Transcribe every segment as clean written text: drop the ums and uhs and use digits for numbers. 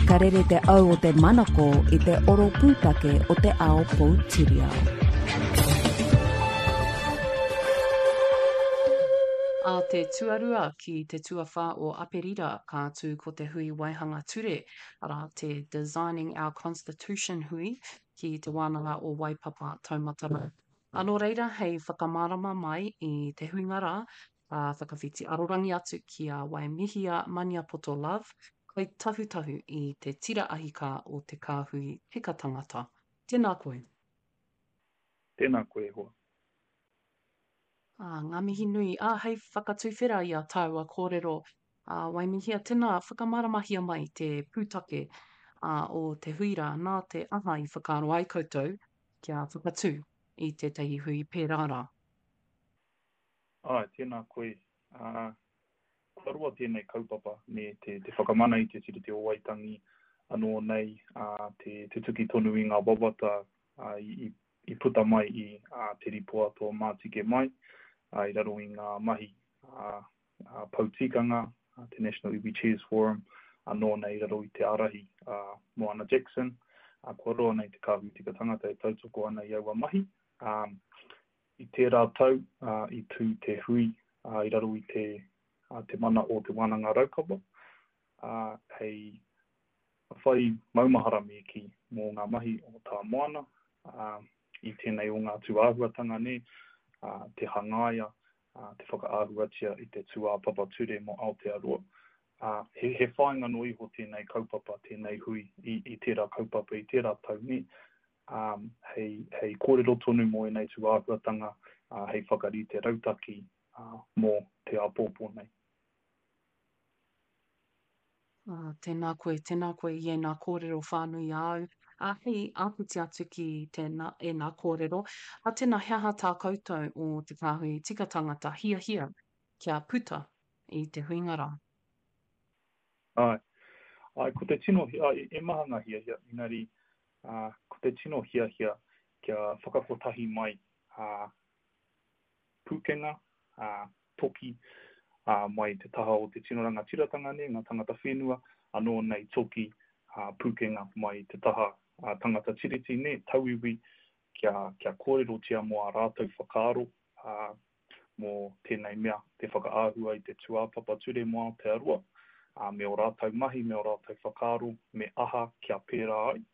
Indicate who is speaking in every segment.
Speaker 1: Ka rere te au o te manako i te oro pūtake o te ao poutiriao.
Speaker 2: Ā te tuarua ki te tuawhā o Aperira ka tū ko te hui waihanga ture, arā te Designing Our Constitution hui ki Te Wānanga o Waipapa Taumata Rau. Ā, nō reira, hei whakamārama mai i te huinga rā, ka whakawhiti arorangi atu ki a Waimihia Maniapoto Love, kaitahutahu i te tira ahikā o Te Kāhui Tika Tangata. Tēnā koe.
Speaker 3: Tēnā koe e hoa.
Speaker 2: Ā, ngā mihi nui. Ā, hei whakatuwhera i a tāua kōrero, ā, Waimihia, tēnā, whakamāramahia mai te pūtake, ā, o te hui rā, nā te aha i whakaaro ai koutou kia whakatū i tētahi hui pērā rā?
Speaker 3: Āe, tēnā koe. Ā, kua roa tēnei kaupapa me te, te whakamana i te Tiriti o Waitangi anō nei, ā, te, te tuki tonu i ngā wawata ā, i, i puta mai i ā, te ripoata o Mātike Mai, ā, i raro i ngā mahi ā, ā, pou tikanga, ā, te National Iwi Chairs Forum, anō nei i raro i te ārahi a Moana Jackson, ā, kua roa nei te Kāhui Tika Tangata e tautoko ana i aua mahi. Ā, I tērā tau, i tū te hui i raro i te te mana o Te Wānanga Raukawa, hei whai maumahara me kī mō ngā mahi o Tā Moana i tēnei o ngā tūāhuatanga nē, te hangaia, te whakaahuatia i te tūāpapa ture mō Aotearoa. He, he whāinga noa iho tēnei kaupapa, tēnei hui i, i tērā kaupapa, i tērā tau nē, ā, hei, hei kōrero tonu mō ēnei tūāhuatanga, ā, hei whakarite rautaki, ā, mō te āpōpō nei.
Speaker 2: Ā, tēnā koe, tēnā koe i ēnā kōrero whānui āu. Ā, hei āpiti atu ki tēnā, ēnā kōrero, ā, tēnā he aha tā koutou o Te Kāhui Tika Tangata hiahia kia puta i te huinga rā?
Speaker 3: Āe. Āe, ko te tino, āe, e maha ngā hiahia, engari, ā, ko te tino hiahia kia whakakotahi mai, ā, pūkenga, ā, toki, ā, mai te taha o te tino rangatiratanga nei, ngā tangata whenua, anō nei toki, ā, pūkenga mai te taha, ā, tangata tiriti nei, tauiwi, kia, kia kōrerotia mō ā rātou whakaaro, ā, mō tēnei mea, te whakaahua i te tūāpapa ture mō Aotearoa, ā, me ō rātou mahi, me ō rātou whakaaro, me aha kia pērā ai.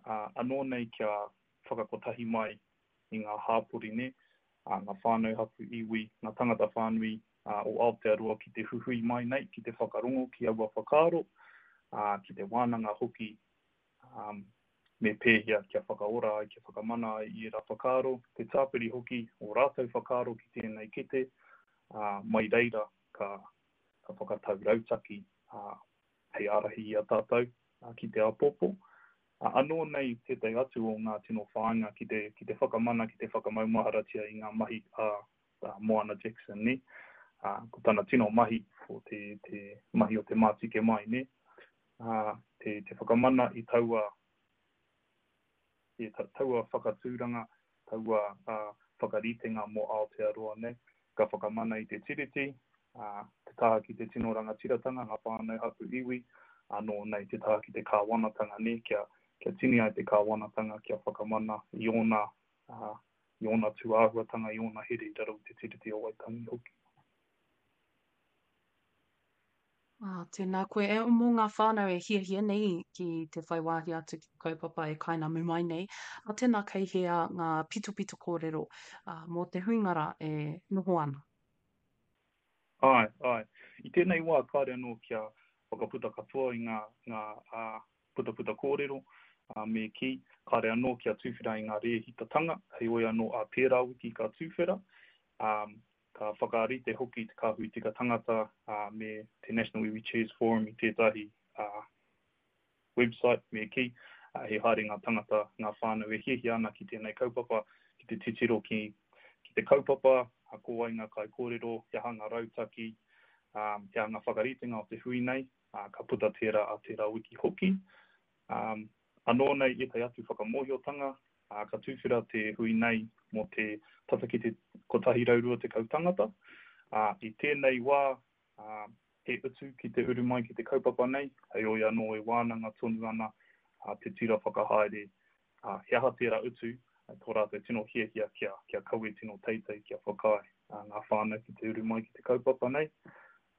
Speaker 3: Ā, anō nei kia whakakotahi mai i ngā hāpori nē, ā, ngā whānau hapū iwi, ngā tangata whānui ā, o Aotearoa ki te huhui mai nei, ki te whakarongo ki aua whakaaro, ā, ki te wānanga hoki ā, me pēhea kia whakaora ai, kia whakamana ai i ērā whakaaro, te tāpiri hoki ō rātou whakaaro ki tēnei kete, ā, mai reira ka, ka whakatau rautaki, ā, hei ārahi i a tātou ki te āpōpō. Ā, anō nei tētahi atu o ngā tino whāinga ki te, ki te whakamana, ki te whakamaumaharatia i ngā mahi a, a Moana Jackson, nē. Ā, ko tana tino mahi ko te, te mahi o te mātike mai, nē. ā, te, te whakamana i taua, i taua whakatūranga, taua ā, whakaritenga mō Aotearoa nei, ka whakamana i te Tiriti, ā, te taha ki te tino rangatiratanga, ngā whānau hapū iwi, anō nei te taha ki te kāwanatanga nei, kia, kia tini ai te kāwanatanga kia whakamana i ōna, ā, i ōna tūāhuatanga, i ōna here i raro i te Tiriti o Waitangi hoki.
Speaker 2: Ā, tēnā koe. E, mō ngā whānau e hiahia nei ki te whai wāhi atu ki te kaupapa e kainamu mai nei, ā, tēnā kei hea ngā pitopito kōrero, ā, mō te huinga rā e noho ana?
Speaker 3: Āe, āe. I tēnei wā kāore anō kia whakaputa katoa i ngā, ngā, ā, putaputa kōrero, ā, me kī, kāore anō kia tuwhera i ngā rēhitatanga, heoi anō ā tērā wiki ka tuwhera, ā, Ka whakarite hoki Te Kāhui Tika Tangata me te National Iwi Chairs Forum i tētahi website, me kī, he haere ngā tangata, ngā whānau e hiahia ana ki tēnei kaupapa, ki te titiro ki, ki te kaupapa, ko wai ngā kaikōrero, he aha ngā rautaki, he aha ngā whakaritenga o te hui nei, ka puta tērā a tērā wiki hoki. Anō nei ētahi atu whakamōhiotanga, ā, ka tuwhera te hui nei mō te tata ki te 120 tangata, ā, i tēnei wā, ā, he utu ki te uru mai ki te kaupapa nei, heoi anō e wānanga tonu ana te tira whakahaere he aha tērā utu, tō rātou tino hiahia kia, kia kawe tino teitei, kia whakaae ngā whānau ki te uru mai ki te kaupapa nei.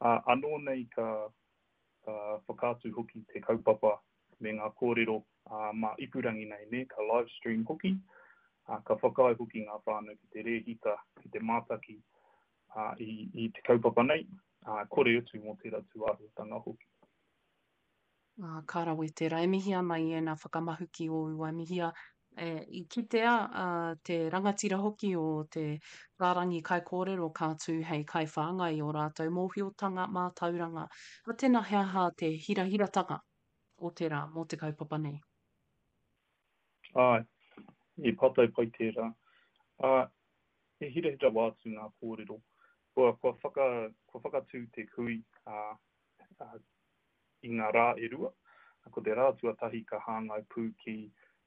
Speaker 3: Anō nei ka, ka whakaatu hoki te kaupapa me ngā kōrero mā ipurangi nei, nē, ka live stream hoki, ka whakaae hoki ngā whānau ki te rēhita, ki te mātaki i, i te kaupapa nei, kore utu mō tērā tūāhuatanga hoki.
Speaker 2: Ā, ka rawe tērā. E mihi ana i ēnā whakamahuki ōu waimihia. E, i kitea a, te rangatira hoki o te rārangi kaikōrero ka tū hei kaiwhāngai i ō rātou mōhiotanga mātauranga. A tēnā he aha te hirahiratanga o tērā mō te kaupapa nei?
Speaker 3: Āe, i pātai pai tērā. Ā, he hirahira rawa atu ngā kōrero. Kua, kua, whaka, kua whakatū te hui, ā, ā, i ngā rā e rua. Ko te rā tuatahi ka hāngai pū ki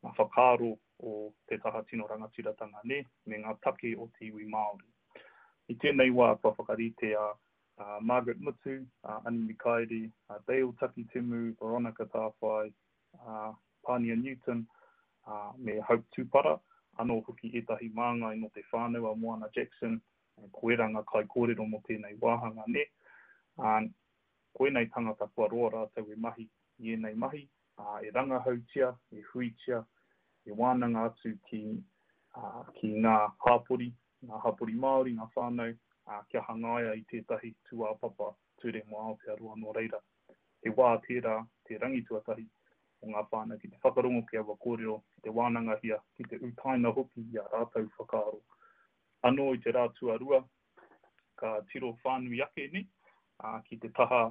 Speaker 3: ngā whakaaro o te taha tino rangatiratanga nē, me ngā take o te iwi Māori. I tēnei wā kua whakarite a Margaret Mutu, a Ani Mikaere, a Dale Takitimu, Veronica Tāwhai, a Pania Newton, me Hope Tupara, anō hoki ētahi māngai nō te whānau a Moana Jackson, ko ērā ngā kaikōrero mō tēnei wāhanga nē. Koinei tangata kua roa rātou e mahi i ēnei mahi, ā, e rangahautia, e huitia, e wānanga atu ki, ā, ki ngā hāpori, ngā hapori Māori, ngā whānau, ā, kia hangaia i tētahi tūāpapa ture mō Aotearoa nō reira. He wā tērā, te rangi tuatahi o ngā whānau ki te whakarongo ki aua kōrero, ki te wānangahia, ki te utaina hoki i ā rātou whakaaro. Anō i te rā tuarua, ka tiro whānui ake nei ki te taha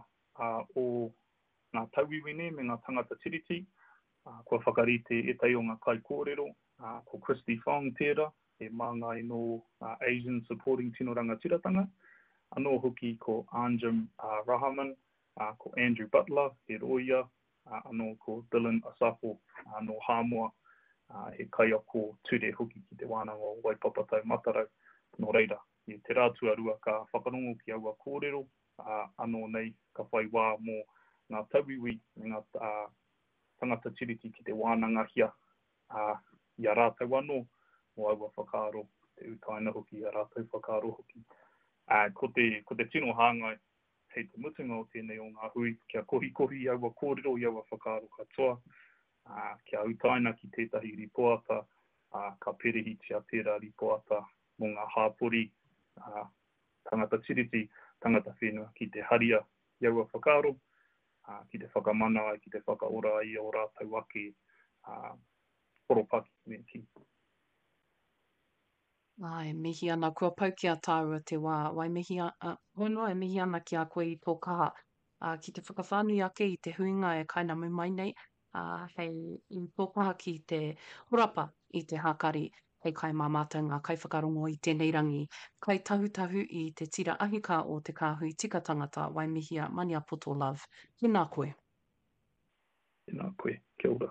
Speaker 3: o ngā tauiwi nei me ngā tangata tiriti. Kua whakarite ētahi o ngā kaikōrero, ko Christy Fong tērā, he māngai nō Asian Supporting Tino Rangatiratanga, anō hoki ko Anjum Rahaman, ko Andrew Butler, he rōia, anō ko Dylan Asafo nō Hāmoa, he kaiako ture hoki ki Te Wānanga o Waipapa Taumatarau. Nō reira, i te rā tuarua ka whakarongo ki aua kōrero, ā, anō nei ka whai wā mō ngā tauiwi me ngā tangata tiriti ki te wānangahia, ā, i a rātou anō mō aua whakaaro, te utaina hoki i a rātou whakaaro hoki. Ā, ko te, ko te tino hāngai hei te mutunga o tēnei o ngā hui, kia kohikohi i aua kōrero, i aua whakaaro katoa, ā, kia utaina ki tētahi rīpoata, ā, ka perehitia tērā rīpoata mō ngā hāpori, ā, tangata tiriti, tangata whenua ki te haria i aua whakaaro, ā, ki te whakamana ai, ki te whakaora ai i ō rātou ake, ā, horopaki me kī.
Speaker 2: Āe, e mihi ana, kua pau ki a tāua te wā. Waimihi, a, hoi noa e mihi ana ki a koe i tō kaha, ā, ki te whakawhānui ake i te huinga e kainamu mai nei, ā, hei, i tō kaha ki te horapa i te hākari hei kai mā mātou ngā kaiwhakarongo i tēnei rangi. Kai tahutahu i te tira ahikā o Te Kāhui Tika Tangata, Waimihia Maniapoto Love. Tēnā koe.
Speaker 3: Tēnā koe. Kia ora.